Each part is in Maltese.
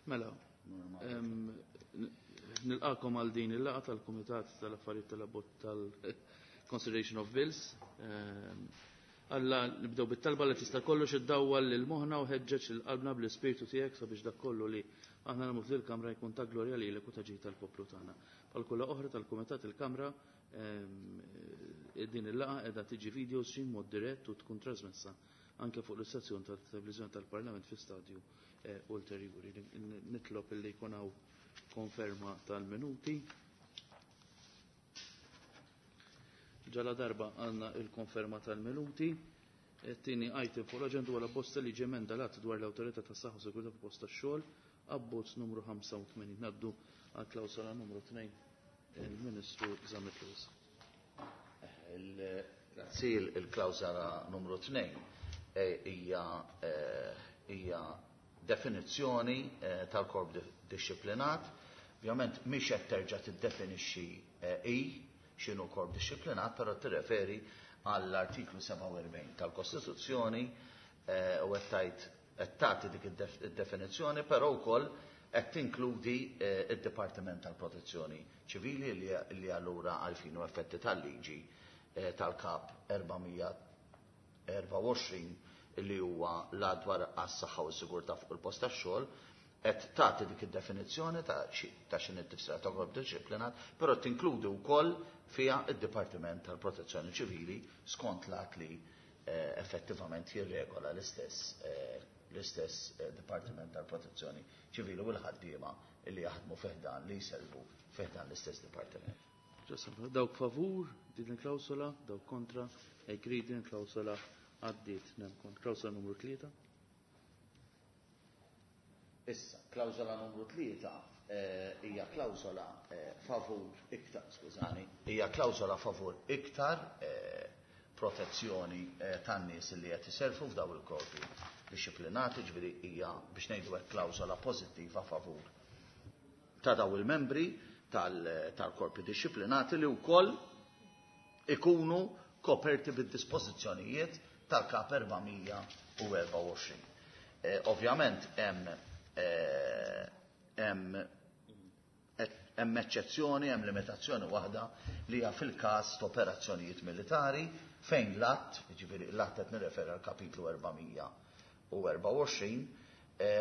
Mela, nilqakom għal din il-laqgħa tal-Kumitat tal-Affarijiet tal-Abbozz tal-Consideration of Bills. Alla nibdew bit-talba li tista' kollox iddawwal lil moħħna u ħeġġeġ lil qalbna bl-ispirtu tiegħek sabiex dak kollu li aħna nagħmlu f'dil-kamra jkun ta' glorja lilek u ta' ġid tal-poplu tagħna. Bħal kull oħra tal-Kumitat il-Kamra din il-laqgħa qiegħda tiġi video stream mod dirett u tkun trasmessa anke fuq l-istazzjon tal-televiżjoni tal-Parlament fi stadju ulterjuri. Nitlob illi jkun hawn konferma tal-minuti. Ġala darba għandna il-konferma tal-minuti. Tieni item fuq l-aġenda huwa l-abbozz ta' liġi emenda l-att dwar l-Awtorità tas-Saħħa u Sigurtà fuq post tax-xogħol, abbozz numru 85. Ngħaddu għal klawsola numru 2 il-Ministru Zammit Lewis. Grazzi, il-klawsola numru 2 hija hija definizzjoni tal-korp dixxiplinat. Ovvjament mhix qed terġa' tiddefinixxi hi x'inhu korp dixxiplinat, però tirreferi għall-artiklu 47 tal-Kostituzzjoni u qed tgħid qed tagħti dik id-definizzjoni, però wkoll qed tinkludi d-Dipartiment tal-Protezzjoni Ċivili li allura għal fini u effetti tal-liġi tal-Kap 424 li huwa l-Att dwar għas-Saħħa u s-Sigurtà fuq il-Post tax-Xogħol qed tagħti dik id-definizzjoni ta' x'inhi t-tifsira ta' korp dixxiplinat, però tinkludi wkoll fiha d-Dipartiment tal-Protezzjoni Ċivili skont l-att li effettivament jirregola l-istess l-istess Dipartiment tal-Protezzjoni Ċivili u l-ħaddiema li jaħdmu fi ħdan li jservu fi ħdan l-istess dipartiment. Dawk favur din il-klawsola, dawk kontra, agree din il-klawsola għaddiet. Klawsola numru 3. Issa, klawsola numru 3 hija klawsola favur iktar, skużani, hija klawsola favur iktar protezzjoni tan-nies li qed iservu f'daw il-korpi dixxiplinati, ġifieri hija biex ngħidu hekk klawsola pożittiva favur ta' daw il-membri tal-korpi dixxiplinati li wkoll ikunu koperti bid-dispożizzjonijiet tal-Kap 424. Ovvjament hemm hemm hemm eċċezzjoni, hemm limitazzjoni waħda li hija fil-każ ta' operazzjonijiet militari fejn l-att, jiġifieri l-att qed nirreferi għal kapitlu 424,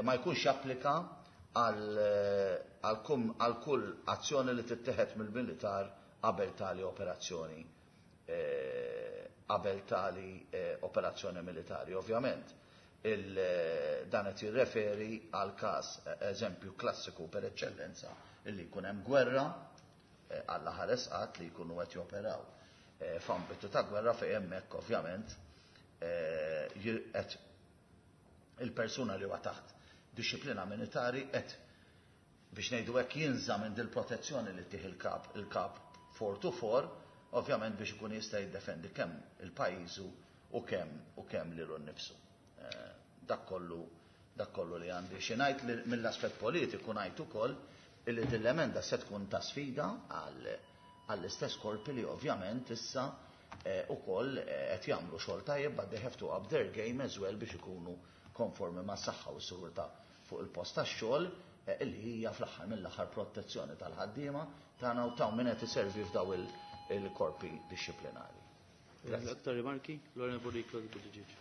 ma jkunx japplika għal kull azzjoni li tittieħed mill-militar qabel tali operazzjoni qabel tali operazzjoni militari. Ovvjament, dan qed jirreferi għal każ eżempju klassiku per eċċellenza illi jkun hemm gwerra Alla ħares qatt li jkunu qed joperaw f'ambitu ta' gwerra fejn hemmhekk ovvjament qed il-persuna li huwa taħt dixxiplina militari qed biex ngħidu hekk jinża' minn dil-protezzjoni li ttih il-kap il-kap 424 ovvjament biex ikun jista' jiddefendi kemm il-pajjiżu u kemm u kemm lilu nnifsu. Dak kollu dak kollu li għandi xi ngħid li mill-aspett politiku ngħid ukoll illi din l-emenda se tkun ta' sfida għal għall-istess korpi li ovvjament issa ukoll qed jagħmlu xogħol tajjeb but they have to up their game as well biex ikunu konformi mas-saħħa u s-sigurtà fuq il-post tax-xogħol illi hija fl-aħħar mill-aħħar protezzjoni tal-ħaddiema tagħna u ta' min qed iservi f'daw il-korpi dixxiplinari. Grazzi. Aktar rimarki? L-Onorevoli Claudia Buttigieg.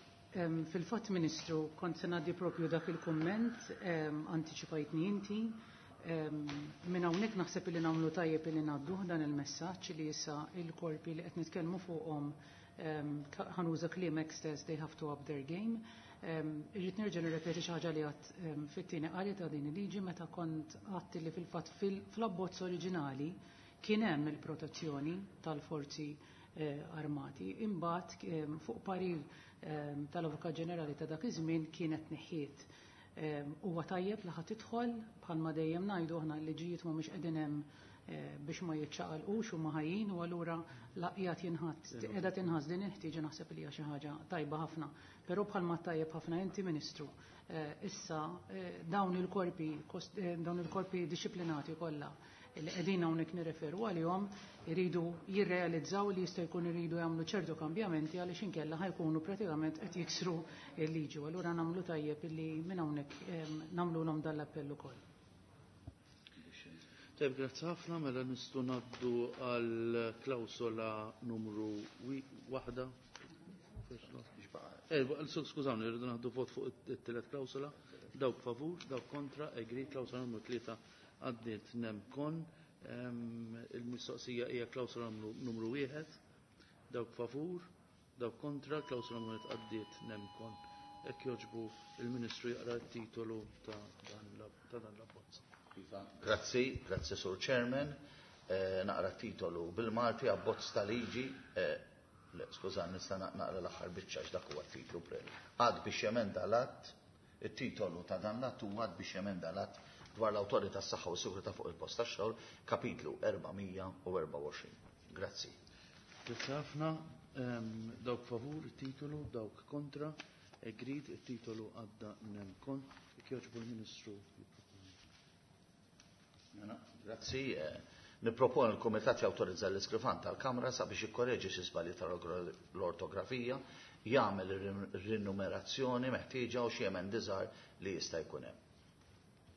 Fil-fatt, Ministru, kont se ngħaddi propju dak il-kumment, antiċipajtni inti. Minn hawnhekk naħseb li nagħmlu tajjeb li ngħadduh dan il-messaġġ li issa il-korpi li qed nitkellmu fuqhom ħa nuża kliemek stess they have to up their game. Irrid nerġa' nirrepeti xi ħaġa li għedt fit-tieni qari ta' din il-liġi meta kont għedt li fil-fatt fl-abbozz oriġinali kien hemm il-protezzjoni tal-forzi armati. Imbagħad fuq parir tal-Avukat Ġenerali ta' dak iż-żmien kienet neħħiet. Huwa tajjeb li ħa tidħol bħalma dejjem ngħidu aħna l-liġijiet mhumiex qegħdin hemm biex ma jiċċaqalqux huma ħajjin u allura la qiegħed jinħatt qiegħda tinħass din il-ħtieġa naħseb li hija xi ħaġa tajba ħafna. Però bħalma tajjeb ħafna inti Ministru, issa dawn il-korpi dawn il-korpi dixxiplinati kollha li qegħdin hawnhekk nirreferu għalihom iridu jirrealizzaw li jista' jkun iridu jagħmlu ċertu kambjamenti għaliex inkella ħa jkunu pratikament qed jiksru l-liġi. U allura nagħmlu tajjeb illi minn hawnhekk nagħmlulhom dan l-appell ukoll. Tajb, grazzi ħafna, mela nistgħu ngħaddu għal klawsola numru waħda. Eh, skużawni, rridu naħdu vot fuq it-tielet klawsola. Dawk favur, dawk kontra, agri, klawsola numru tlieta għaddiet nem kon. Il-mistoqsija hija klawsola numru wieħed. Dawk favur, dawk kontra, klawsola numru wieħed għaddiet nem kon. Hekk jogħġbu il-Ministru jaqra t-titolu ta' dan l-abbozz. Iva, grazzi, grazzi Sur Chairman. Eh, naqra titolu bil-Malti abbozz ta' liġi, eh, skuża, nista' naqra l-aħħar biċċa għax dak huwa t-titlu pre. Għad biex jemenda l-att, it-titolu ta' dan l-att huwa att biex jemenda l-att dwar l-Awtorità tas-Saħħa u s-Sigurtà fuq il-Post tax-Xogħol, kapitlu 424. Grazzi. Grazzi ħafna. Dawk favur it-titolu, dawk kontra, agreed, it-titolu għadda nem kon. Jekk jogħġbu l-Ministru jipproponi. Mela, grazzi. Nipproponi l-Kumitat jawtorizza l-Iskrivan tal-Kamra sabiex jikkoreġi xi żbalji tal-ortografija, jagħmel ir-rinumerazzjoni meħtieġa u xi emendi żgħar li jista' jkun hemm.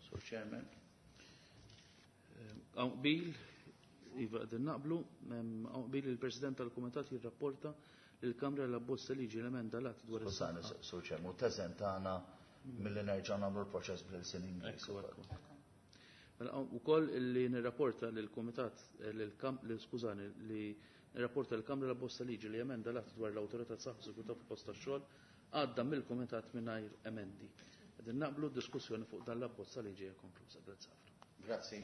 Sur Chairman. Hawn qbil, iva qegħdin naqblu, hawn qbil il-President tal-Kumitat jirrapporta lill-Kamra l-abbozz ta' liġi l-emenda l-att dwar Skużani, Sur Chairman, u teżentana milli nerġgħu nagħmlu l-proċess bl-ilsien Ingliż. Mela ukoll li nirrapporta lill-Kumitat li skużani li nirrapporta lill-Kamra l-abbozz ta' liġi li emenda l-att dwar l-Awtorità tas-Saħħa u Sigurtà fil-Post tax-Xogħol għadda mill-Kumitat mingħajr emendi. Qegħdin naqblu d-diskussjoni fuq dan l-abbozz ta' liġi hija konkluża. Grazzi ħafna. Grazzi.